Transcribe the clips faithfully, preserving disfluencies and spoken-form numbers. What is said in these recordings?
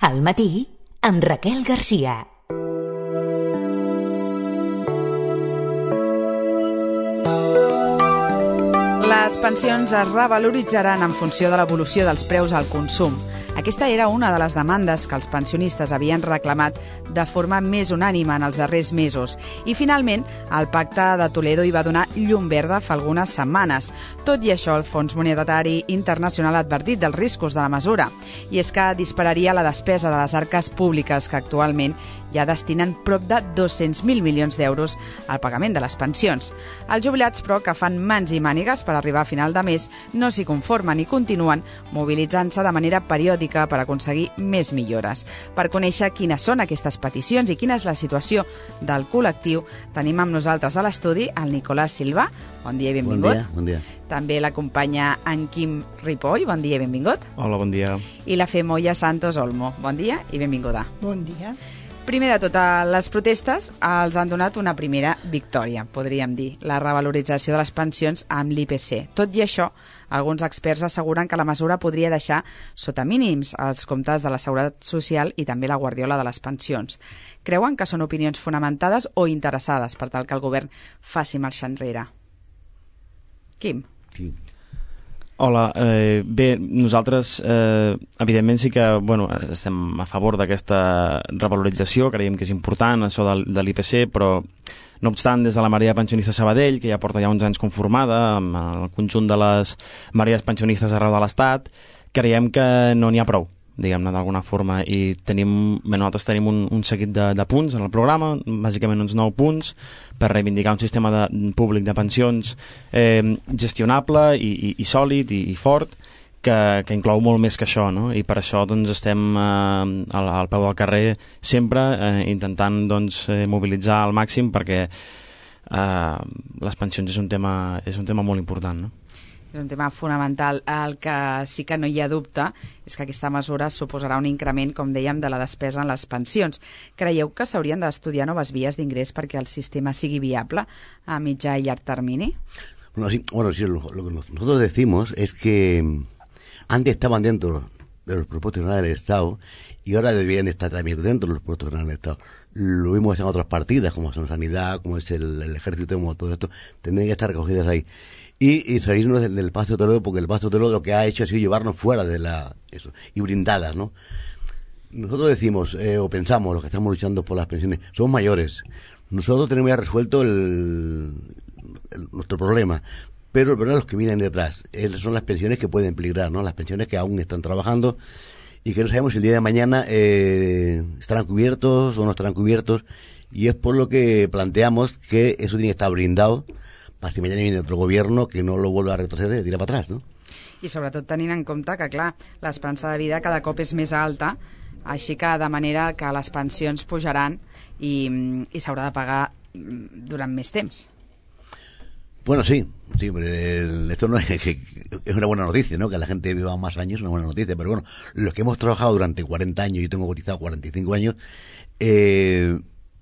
Al matí, amb Raquel Garcia. Les pensions es revaloritzaran en funció de l'evolució dels preus al consum. Aquesta era una de les demandes que els pensionistes havien reclamat de forma més unànime en els darrers mesos. I, finalment, el Pacte de Toledo hi va donar llum verda fa algunes setmanes. Tot i això, el Fons Monetari Internacional ha advertit dels riscos de la mesura. I és que dispararia la despesa de les arques públiques, que actualment ja destinen prop de dos-cents mil milions d'euros al pagament de les pensions. Els jubilats, però, que fan mans i mànigues per arribar a final de mes, no s'hi conformen i continuen mobilitzant-se de manera periòdica per aconseguir més millores. Per conèixer quines són aquestes peticions i quina és la situació del col·lectiu, tenim amb nosaltres a l'estudi el Nicolás Silva. Bon dia i benvingut. Bon dia, bon dia. També l'acompanya en Quim Ripoll. Bon dia i benvingut. Hola, bon dia. I la Femoia Santos Olmo. Bon dia i benvinguda. Bon dia. Primer de tot, les protestes els han donat una primera victòria, podríem dir, la revalorització de les pensions amb l'I P C. Tot i això, alguns experts asseguren que la mesura podria deixar sota mínims els comptes de la Seguretat Social i també la guardiola de les pensions. Creuen que són opinions fonamentades o interessades per tal que el govern faci marxa enrere? Quim? Sí. Hola, eh, bé, nosaltres eh, evidentment sí que bueno, estem a favor d'aquesta revalorització, creiem que és important això de, de l'I P C, però no obstant, des de la Marea Pensionista Sabadell, que ja porta ja uns anys conformada amb el conjunt de les marees pensionistes arreu de l'Estat, creiem que no n'hi ha prou, diguem-ne, d'alguna forma, i tenim, bé, nosaltres tenim un, un seguit de, de punts en el programa, bàsicament uns nou punts, per reivindicar un sistema de, públic de pensions eh, gestionable i, i, i sòlid i, i fort, que, que inclou molt més que això, no? I per això doncs, estem eh, al, al peu del carrer sempre eh, intentant doncs, eh, mobilitzar al màxim perquè eh, les pensions és un tema, és un tema molt important, no? És un tema fonamental. El que sí que no hi ha dubte és que aquesta mesura suposarà un increment, com dèiem, de la despesa en les pensions. Creieu que s'haurien d'estudiar noves vies d'ingrés perquè el sistema sigui viable a mitjà i llarg termini? Bueno, sí, bueno, sí, lo, lo que nosotros decimos es que antes estaban dentro de los presupuestos generales del Estado y ahora deberían estar también dentro de los presupuestos generales del Estado. Lo vimos en otras partidas, como son sanidad, como es el, el ejército, como todo esto, tendrían que estar recogidas ahí. Y, y salirnos del, del Pacto de Toledo, porque el Pacto de Toledo lo que ha hecho ha sido llevarnos fuera de la eso y brindadas, ¿no? Nosotros decimos, eh, o pensamos, los que estamos luchando por las pensiones, somos mayores. Nosotros tenemos ya resuelto el, el, nuestro problema, pero el problema es los que vienen detrás. Esas son las pensiones que pueden peligrar, ¿no? Las pensiones que aún están trabajando y que no sabemos si el día de mañana eh, estarán cubiertos o no estarán cubiertos, y es por lo que planteamos que eso tiene que estar brindado per si mañana viene otro gobierno que no lo vuelva a retroceder, tira para atrás, ¿no? I sobretot tenint en compte que, clar, l'esperança de vida cada cop és més alta, així que de manera que les pensions pujaran i, i s'haurà de pagar durant més temps. Bueno, sí, sí, esto no es, es una buena noticia, ¿no? Que la gente viva más años es una buena noticia, pero bueno, los que hemos trabajado durante cuarenta años, yo tengo cotizado cuarenta y cinco años, eh,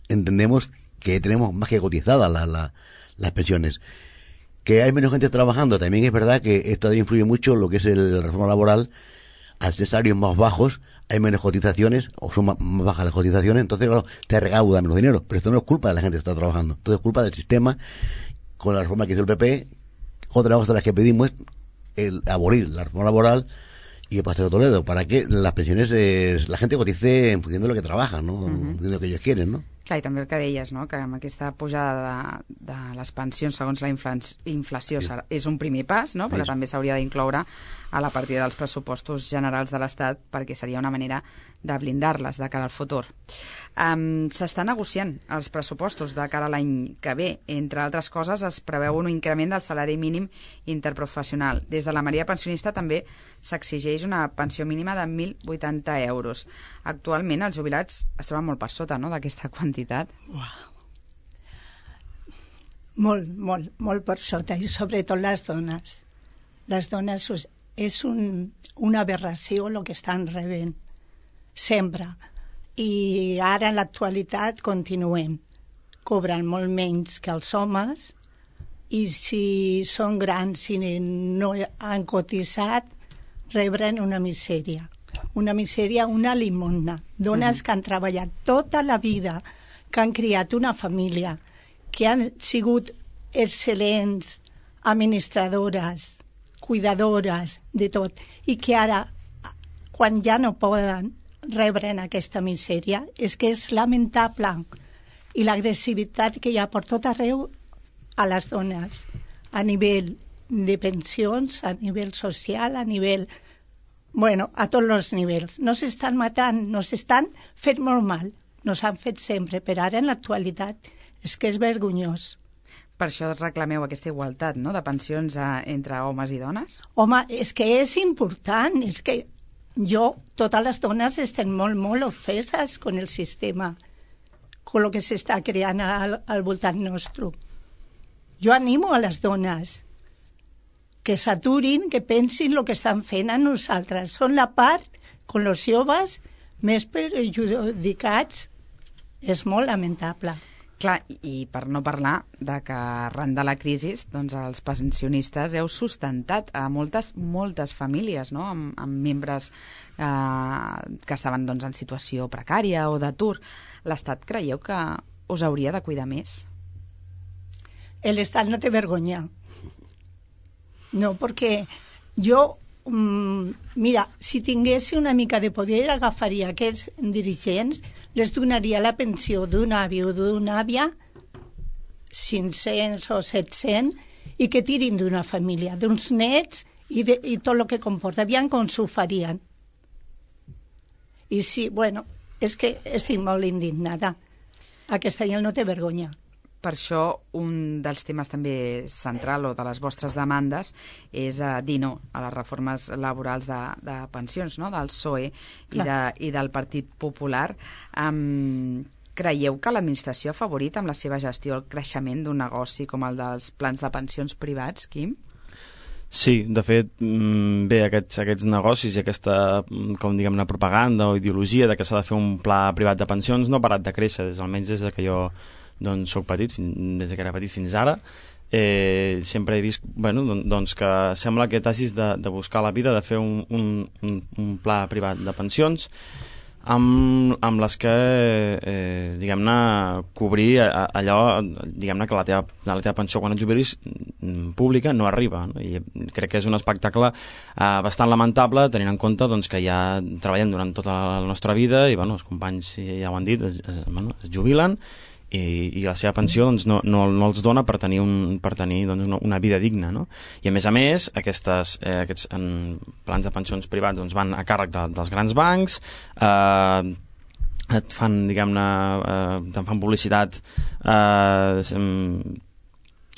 entendemos que tenemos más que cotizadas la, la las pensiones. Que hay menos gente trabajando, también es verdad que esto influye mucho en lo que es el, la reforma laboral. Al ser salarios más bajos hay menos cotizaciones, o son más, más bajas las cotizaciones, entonces claro, te recauda menos dinero, pero esto no es culpa de la gente que está trabajando, todo es culpa del sistema. Con la reforma que hizo el P P, otra cosa de las que pedimos es el abolir la reforma laboral y el Pacto de Toledo, para que las pensiones, eh, la gente cotice en función de lo que trabaja, ¿no? Uh-huh. En función de lo que ellos quieren, ¿no? Clar, i també el que deies, no? Que amb aquesta pujada de, de les pensions segons la inflació sí. és un primer pas, no? Però sí. també s'hauria d'incloure a la partida dels pressupostos generals de l'Estat, perquè seria una manera de blindar-les de cara al futur. Um, S'està negociant els pressupostos de cara a l'any que ve. Entre altres coses, es preveu un increment del salari mínim interprofessional. Des de la Marea Pensionista també s'exigeix una pensió mínima de mil vuitanta euros. Actualment els jubilats es troben molt per sota, no?, d'aquesta quantitat. Uau. Molt, molt, molt per sota, i sobretot les dones. Les dones és un, una aberració el que estan rebent, sempre. I ara, en l'actualitat, continuem. Cobren molt menys que els homes, i si són grans i no han cotitzat, rebren una misèria. una misèria, una limosna. Dones que han treballat tota la vida, que han criat una família, que han sigut excel·lents administradores, cuidadores de tot, i que ara, quan ja no poden rebre en aquesta misèria, és que és lamentable. I l'agressivitat que hi ha per tot arreu a les dones, a nivell de pensions, a nivell social, a nivell... Bueno, a tots els nivells. No s'estan matant, no s'estan fent molt mal. No s'han fet sempre, però ara en l'actualitat és que és vergonyós. Per això reclameu aquesta igualtat, no?, de pensions a, entre homes i dones? Home, és que és important, és que jo, totes les dones estem molt, molt ofeses con el sistema, con lo que s'està creant al, al voltant nostre. Jo animo a les dones que s'aturin, que pensin el que estan fent a nosaltres. Són la part, con els joves, més perjudicats. És molt lamentable. Clar, i per no parlar de que arran de la crisi, doncs els pensionistes heu sustentat a moltes, moltes famílies, no?, amb, amb membres eh, que estaven doncs, en situació precària o d'atur. L'Estat creieu que us hauria de cuidar més? L'Estat no té vergonya. No, perquè jo, mmm, mira, si tingués una mica de poder, agafaria aquests dirigents, les donaria la pensió d'un avi o d'una àvia, cinc-cents o set-cents, i que tirin d'una família, d'uns nets i, de, i tot el que comporta. Aviam com s'ho farien. I sí, bueno, és que estic molt indignada. Aquesta gent no té vergonya. Per això, un dels temes també central o de les vostres demandes és uh, dir no a les reformes laborals de, de pensions, no?, del P S O E i, de, i del Partit Popular. Um, creieu que l'administració ha afavorit amb la seva gestió el creixement d'un negoci com el dels plans de pensions privats, Quim? Sí, de fet, bé, aquests, aquests negocis i aquesta, com diguem, una propaganda o ideologia de que s'ha de fer un pla privat de pensions no ha parat de créixer, des, almenys des que jo doncs soc petit, des que era petit fins ara. Eh, sempre he vist, bueno, doncs que sembla que t'hagis de, de buscar la vida, de fer un, un, un, un pla privat de pensions amb, amb les que eh, diguem-ne cobrir allò, diguem-ne que la teva, la teva pensió quan et jubilis pública no arriba, no? I crec que és un espectacle eh, bastant lamentable tenint en compte doncs, que ja treballem durant tota la nostra vida i bueno, els companys ja ho han dit, es, es, bueno, es jubilen i, i la seva pensió doncs, no, no, no els dona per tenir, un, per tenir doncs, una, una vida digna, no? I a més a més aquestes, eh, aquests en, plans de pensions privats doncs, van a càrrec de, dels grans bancs, eh, et fan, diguem-ne, eh, te'n fan publicitat eh,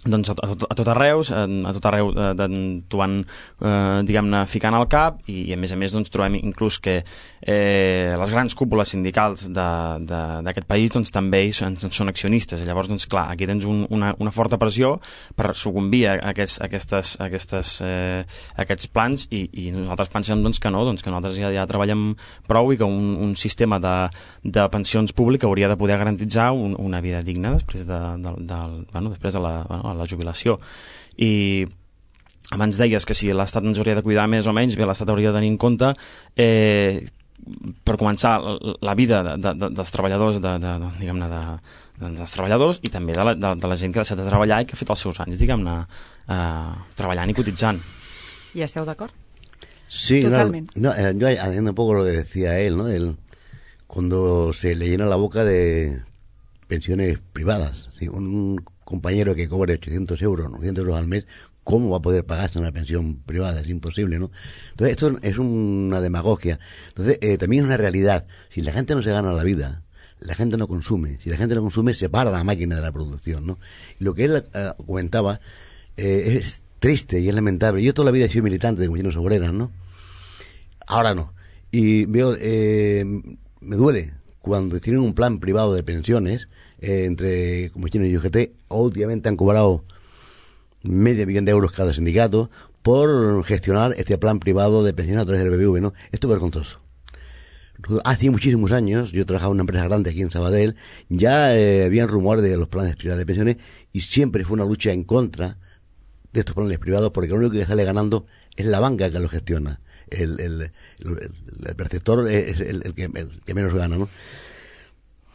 doncs a, a, tot, a tot arreu, a, a tot arreu eh, t'ho van, eh, diguem-ne, ficant al cap i, i a més a més doncs, trobem inclús que eh, les grans cúpules sindicals d'aquest país doncs, també són, són accionistes. Llavors, doncs, clar, aquí tens un, una, una forta pressió per sucumbir a, aquests, a, aquestes, a aquestes, eh, aquests plans i, i nosaltres pensem doncs, que no, doncs, que nosaltres ja, ja treballem prou i que un, un sistema de, de pensions públic hauria de poder garantitzar un, una vida digna després de, de, de, bueno, després de la, bueno, la jubilació. I abans deies que si l'Estat ens hauria de cuidar més o menys, bé, l'Estat hauria de tenir en compte eh, per començar la vida de, de, dels treballadors de, de, de, diguem-ne de, de, dels treballadors i també de la, de, de la gent que ha deixat de treballar i que ha fet els seus anys, diguem-ne, eh, treballant i cotitzant. ¿Y esteu d'acord? Sí, totalmente. No, no, eh, yo haciendo un poco lo que decía él, ¿no? El, cuando se le llena la boca de pensiones privadas, ¿sí? Un compañero que cobre ochocientos euros, novecientos euros al mes, ¿cómo va a poder pagarse una pensión privada? Es imposible, ¿no? Entonces, esto es una demagogia. Entonces, eh, también es una realidad. Si la gente no se gana la vida, la gente no consume. Si la gente no consume, se para la máquina de la producción, ¿no? Y lo que él eh, comentaba eh, es triste y es lamentable. Yo toda la vida he sido militante de comisiones obreras, ¿no? Ahora no. Y veo, eh, me duele cuando tienen un plan privado de pensiones eh, entre comisiones y U G T, últimamente han cobrado medio millón de euros cada sindicato por gestionar este plan privado de pensiones a través del B B V, ¿no? Esto es vergonzoso. Hace muchísimos años, yo trabajaba en una empresa grande aquí en Sabadell, ya eh, habían rumores de los planes privados de pensiones y siempre fue una lucha en contra de estos planes privados porque lo único que sale ganando es la banca que los gestiona. el, el, el, el perceptor es el, el, que, el que menos gana, ¿no?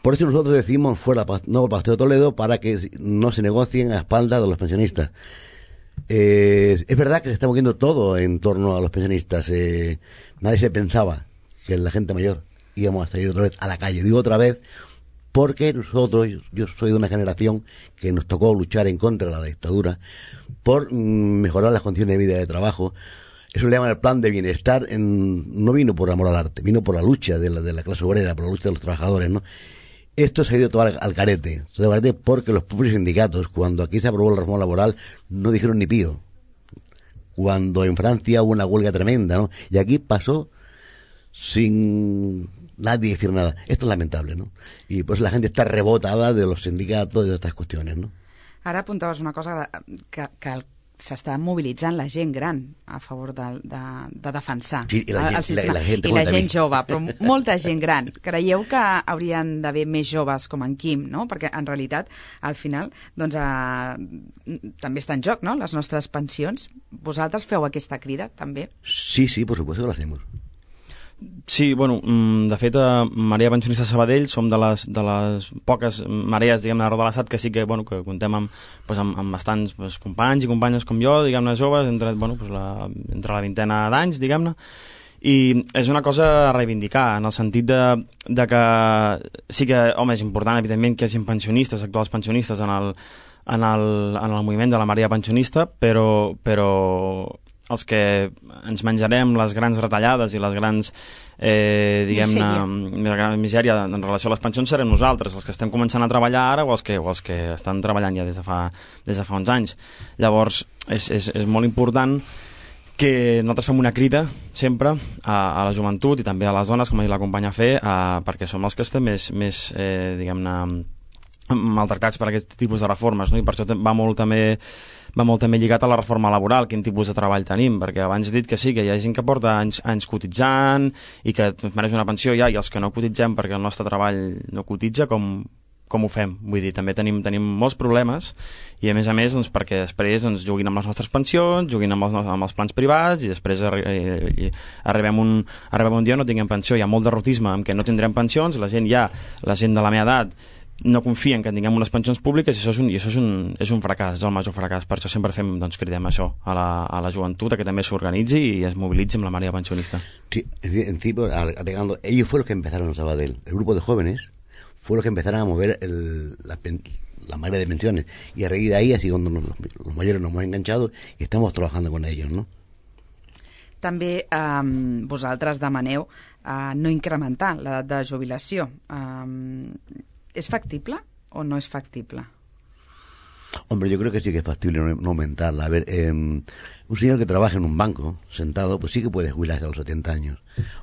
Por eso nosotros decimos fuera no Paseo de Toledo, para que no se negocien a espaldas de los pensionistas. Eh, es verdad que se está moviendo todo en torno a los pensionistas. Eh, nadie se pensaba que la gente mayor íbamos a salir otra vez a la calle. Digo otra vez porque nosotros, yo soy de una generación que nos tocó luchar en contra de la dictadura por mm, mejorar las condiciones de vida y de trabajo. Eso le llaman el plan de bienestar. En, no vino por amor al arte, vino por la lucha de la, de la clase obrera, por la lucha de los trabajadores, ¿no? Esto se ha ido todo al, al carete, se al carete porque los propios sindicatos, cuando aquí se aprobó la reforma laboral, no dijeron ni pío. Cuando en Francia hubo una huelga tremenda, ¿no? Y aquí pasó sin nadie decir nada. Esto es lamentable, ¿no? Y pues la gente está rebotada de los sindicatos y de estas cuestiones, ¿no? Ara apuntaves una cosa que, que s'està mobilitzant la gent gran a favor de, de, de defensar sí, i la, el, el sistema. La, la gent, I la gent jove, però molta gent gran. Creieu que haurien d'haver més joves com en Quim, no? Perquè en realitat, al final, doncs, eh, també està en joc, no?, les nostres pensions. Vosaltres feu aquesta crida, també? Sí, sí, por supuesto que lo hacemos. Sí, bueno, de fet, a Marea Pensionista Sabadell som de les, de les poques marees, diguem-ne, arreu de l'estat que sí que, bueno, que contem amb, pues, amb, amb bastants pues, companys i companyes com jo, diguem-ne, joves, entre, bueno, pues, la, entre la vintena d'anys, diguem-ne, i és una cosa a reivindicar, en el sentit de, de que sí que, home, és important, evidentment, que hi hagi pensionistes, actuals pensionistes en el, en el, en el moviment de la Marea Pensionista, però, però els que ens menjarem les grans retallades i les grans, eh, diguem-ne, misèria en relació a les pensions serem nosaltres, els que estem començant a treballar ara o els que, o els que estan treballant ja des de fa, des de fa uns anys. Llavors, és, és, és molt important que nosaltres fem una crida sempre a, a la joventut i també a les dones, com ha dit la companya Fe, a, perquè som els que estem més, més eh, diguem-ne, maltractats per aquest tipus de reformes, no? I per això va molt també va molt també lligat a la reforma laboral, quin tipus de treball tenim, perquè abans he dit que sí, que hi ha gent que porta anys, anys cotitzant i que mereix una pensió ja, i els que no cotitzem perquè el nostre treball no cotitza, com, com ho fem? Vull dir, també tenim, tenim molts problemes i a més a més doncs, perquè després doncs, juguin amb les nostres pensions, juguin amb els, amb els plans privats i després arri i arribem, un, arribem un dia no tinguem pensió. Hi ha molt derrotisme en què no tindrem pensions, la gent ja, la gent de la meva edat no confien que tinguem unes pensions públiques i això és un, i això és un, és un fracàs, és el major fracàs. Per això sempre fem, doncs, cridem això a la, a la joventut, a que també s'organitzi i es mobilitzi amb la Marea Pensionista. Sí, en sí, agregando, ellos fueron los que empezaron en Sabadell, el grupo de jóvenes fue los que empezaron a mover el, la, la marea de pensiones y a raíz de ahí así donde los, los mayores nos hemos enganchado y estamos trabajando con ellos, ¿no? També eh, vosaltres demaneu eh, no incrementar l'edat de jubilació. Eh, ¿Es factible o no es factible? Hombre, yo creo que sí que es factible no, no aumentarla. A ver, eh, un señor que trabaja en un banco, sentado, pues sí que puede jubilarse a los setenta años.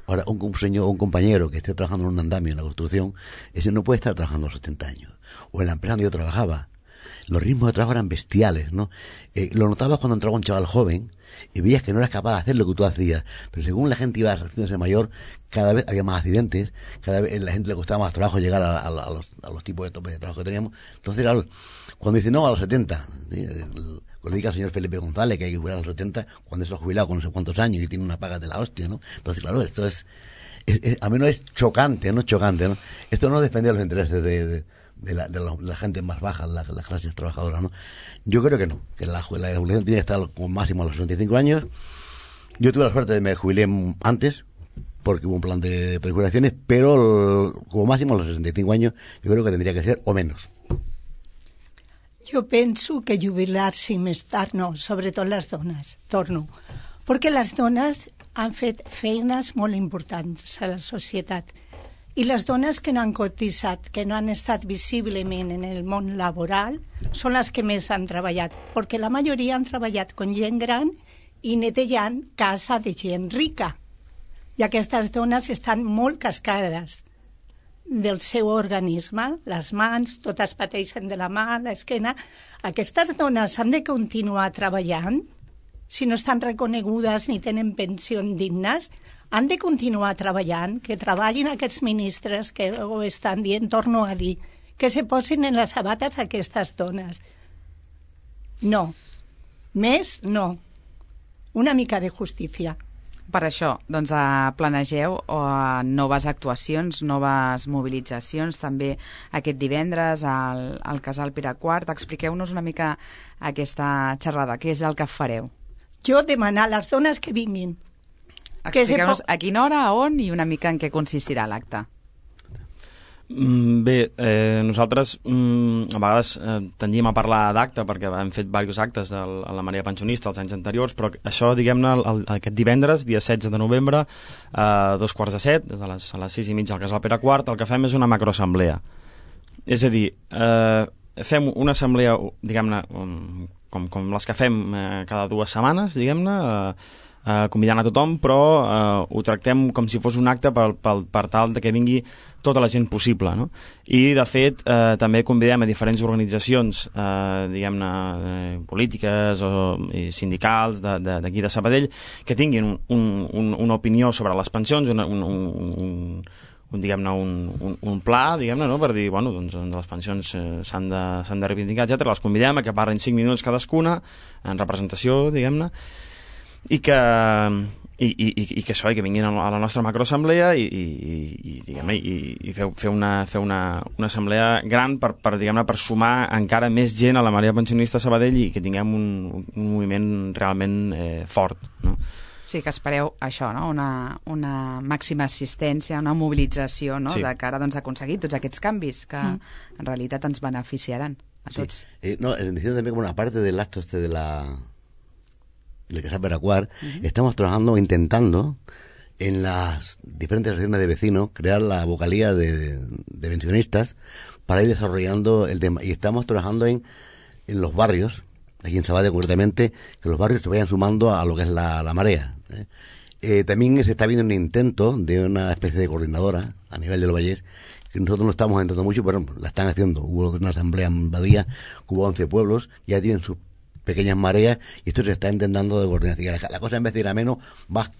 Ahora, un, un señor, un compañero que esté trabajando en un andamio en la construcción, ese no puede estar trabajando a los setenta años. O en la empresa donde yo trabajaba, los ritmos de trabajo eran bestiales, ¿no? Eh, lo notabas cuando entraba un chaval joven y veías que no eras capaz de hacer lo que tú hacías. Pero según la gente iba haciéndose mayor, cada vez había más accidentes, cada vez a la gente le costaba más trabajo llegar a, a, a, los, a los tipos de tope de trabajo que teníamos. Entonces, claro, cuando dice no, a los setenta, ¿sí? Cuando le diga al señor Felipe González que hay que jubilar a los setenta, cuando se ha jubilado con no sé cuántos años y tiene una paga de la hostia, ¿no? Entonces, claro, esto es, es, es a menos es chocante, ¿no? Chocante, ¿no? Esto no depende de los intereses de... de De la, de, la, de la gente más baja, las la clases trabajadoras, ¿no? Yo creo que no, que la, la jubilación tiene que estar como máximo a los sesenta y cinco años. Yo tuve la suerte de que me jubilé antes, porque hubo un plan de prejubilaciones, pero como máximo a los sesenta y cinco años yo creo que tendría que ser o menos. Jo penso que jubilar-se més tard no, sobretot les dones, torno, perquè les dones han fet feines molt importants a la societat. I les dones que no han cotitzat, que no han estat visiblement en el món laboral, són les que més han treballat, perquè la majoria han treballat con gent gran i netejant casa de gent rica. I aquestes dones estan molt cascades del seu organisme, les mans, totes pateixen de la mà, l'esquena. Aquestes dones han de continuar treballant, si no estan reconegudes ni tenen pensions dignes, han de continuar treballant, que treballin aquests ministres que ho estan dient, torno a dir, que se posin en les sabates aquestes dones. No. Més, no. Una mica de justícia. Per això, doncs, eh, planegeu eh, noves actuacions, noves mobilitzacions, també aquest divendres al, al Casal Pere quart. Expliqueu-nos una mica aquesta xerrada, què és el que fareu? Jo demanar a les dones que vinguin. Expliqueu-nos a quina hora, a on i una mica en què consistirà l'acte. Mm, bé, eh, nosaltres mm, a vegades eh, tendíem a parlar d'acte perquè hem fet diversos actes a la Marea Pensionista els anys anteriors, però això, diguem-ne, el, aquest divendres, dia setze de novembre, a eh, dos quarts de set, des de les, a les sis i mitja al Casal Pere quart, el que fem és una macroassemblea. És a dir, eh, fem una assemblea, diguem-ne, com, com les que fem eh, cada dues setmanes, diguem-ne, eh, Uh, convidant a tothom, però uh, ho tractem com si fos un acte per, per, per tal de que vingui tota la gent possible, no? I, de fet, uh, també convidem a diferents organitzacions, uh, diguem-ne, uh, polítiques o i sindicals d'aquí de, de, de Sabadell, que tinguin un, un, un, una opinió sobre les pensions, una, un, un, un, un, diguem-ne, un, un, un pla, diguem-ne, no? Per dir, bueno, doncs, les pensions eh, s'han de, s'han de reivindicar, etcètera. Les convidem a que parlin cinc minuts cadascuna, en representació, diguem-ne, i que, i, i, i que això, i que vinguin a la nostra macroassemblea i, i, i, diguem, i, i fer, fer, una, fer una, una assemblea gran per, per, diguem-ne, per sumar encara més gent a la Marea Pensionista a Sabadell i que tinguem un, un moviment realment eh, fort, no? Sí, que espereu això, no? Una, una màxima assistència, una mobilització, no? Sí. De cara, doncs, a aconseguir tots aquests canvis que mm. en realitat ens beneficiaran a tots. Sí. Eh, no, diciendo también como una parte del acto este de la del Casal Pere quart, uh-huh. estamos trabajando, intentando en las diferentes regiones de vecinos crear la vocalía de, de pensionistas para ir desarrollando el tema. Y estamos trabajando en, en los barrios, aquí en Sabadell concretamente, que los barrios se vayan sumando a lo que es la, la marea. ¿eh? Eh, también se está viendo un intento de una especie de coordinadora a nivel del Vallés, que nosotros no estamos entrando mucho, pero la están haciendo. Hubo una asamblea en Badía, hubo once pueblos, ya tienen sus pequeñas mareas, y esto se está intentando de coordinar. La, la cosa, en vez de ir a menos, va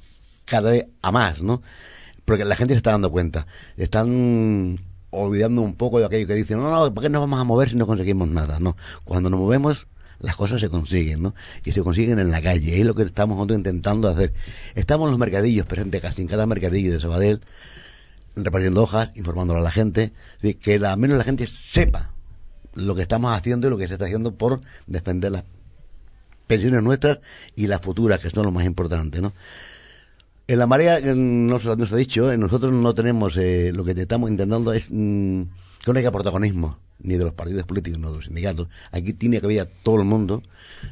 cada vez a más, ¿no? Porque la gente se está dando cuenta. Están olvidando un poco de aquello que dicen, no, no, ¿por qué nos vamos a mover si no conseguimos nada? No, cuando nos movemos, las cosas se consiguen, ¿no? Y se consiguen en la calle, es lo que estamos nosotros intentando hacer. Estamos en los mercadillos presentes, casi en cada mercadillo de Sabadell, repartiendo hojas, informándole a la gente, de que al menos la gente sepa lo que estamos haciendo y lo que se está haciendo por defender las pensiones nuestras y las futuras, que son lo más importante, ¿no? En la marea, nos, nos ha dicho, nosotros no tenemos, eh, lo que estamos intentando es mmm, que no haya protagonismo, ni de los partidos políticos, ni de los sindicatos. Aquí tiene que haber todo el mundo,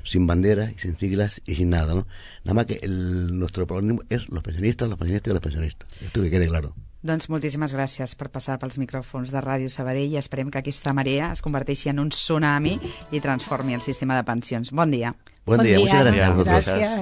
sin banderas, sin siglas y sin nada, ¿no? Nada más que el, nuestro protagonismo es los pensionistas, los pensionistas y los pensionistas. Esto que quede claro. Doncs moltíssimes gràcies per passar pels micròfons de Ràdio Sabadell i esperem que aquesta marea es converteixi en un tsunami i transformi el sistema de pensions. Bon dia. Buen, bon dia, dia. Muchas gracias. Gràcies.